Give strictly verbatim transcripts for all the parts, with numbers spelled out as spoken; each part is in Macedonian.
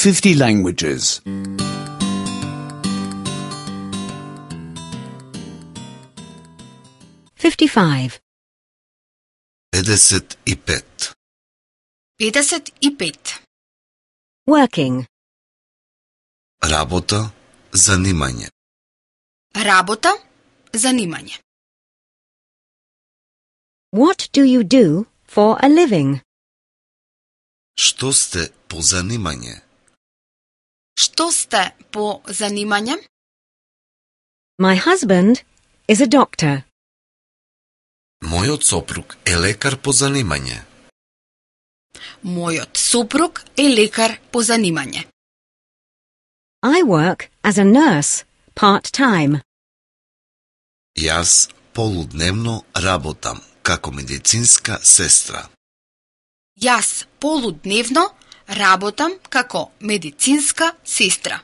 fifty languages. fifty-five. педесет и пет. педесет и пет. Working. Работа, занимање. Работа, занимање. What do you do for a living? Што сте по занимање? Што сте по занимање? My husband is a doctor. Мојот сопруг е лекар по занимање. Мојот супруг е лекар по занимање. I work as a nurse, part-time. Јас полудневно работам како медицинска сестра. Јас полудневно работам како медицинска сестра.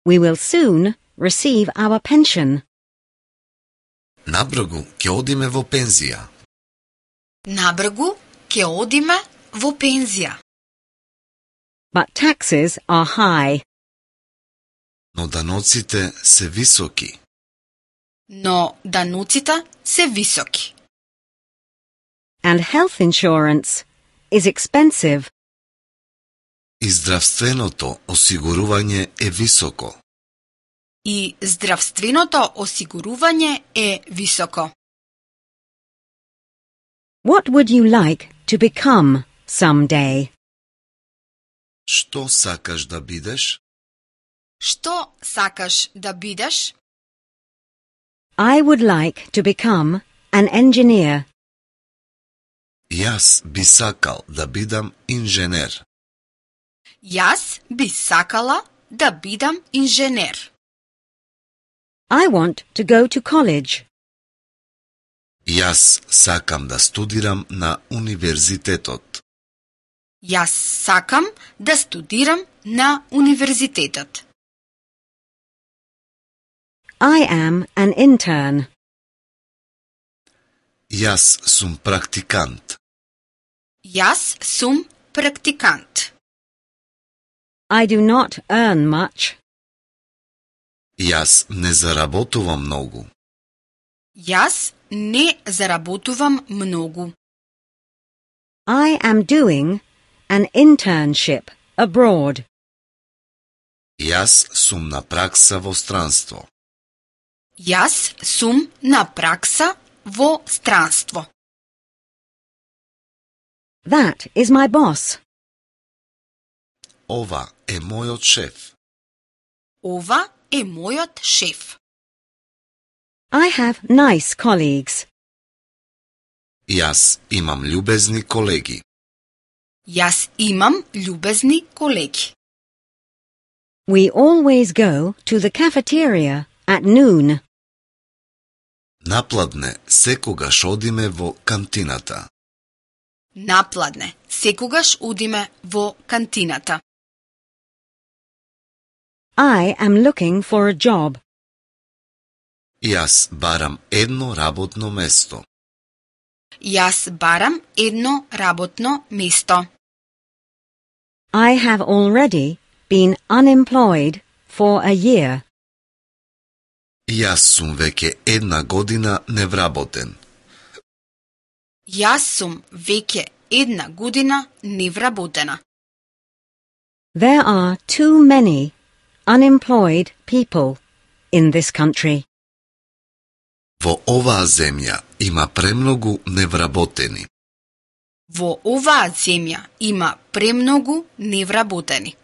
We will soon receive our pension. Набргу ќе одиме во пензија. Набргу ќе одиме во пензија. But taxes are high. Но даноците се високи. Но дануците се високи. And health insurance is expensive. И здравственото осигурување е високо. И здравственото осигурување е високо. What would you like to become someday? Што сакаш да бидеш? Што сакаш да бидеш? I would like to become an engineer. Јас би сакал да бидам инженер. Јас би сакала да бидам инженер. I want to go to college. Јас сакам да студирам на универзитетот. Јас сакам да студирам на универзитетот. I am an intern. Јас сум практикант. Јас сум практикант. I do not earn much. Јас не заработувам многу. Јас не заработувам многу. I am doing an internship abroad. Јас сум на пракса во странство. Јас сум на пракса во странство. That is my boss. Ова е мојот шеф. Ова е мојот шеф. I have nice colleagues. Јас имам љубезни колеги. Јас имам љубезни колеги. We always go to the cafeteria at noon. Напладне секогаш одиме во кантината. Напладне секогаш одиме во кантината. I am looking for a job. Јас барам едно работно место. Јас барам едно работно место. I have already been unemployed for a year. Јас сум веќе една година невработен. Јас сум веќе една година невработена. There are too many unemployed people in this country. Во оваа земја има премногу невработени. Во оваа земја има премногу невработени.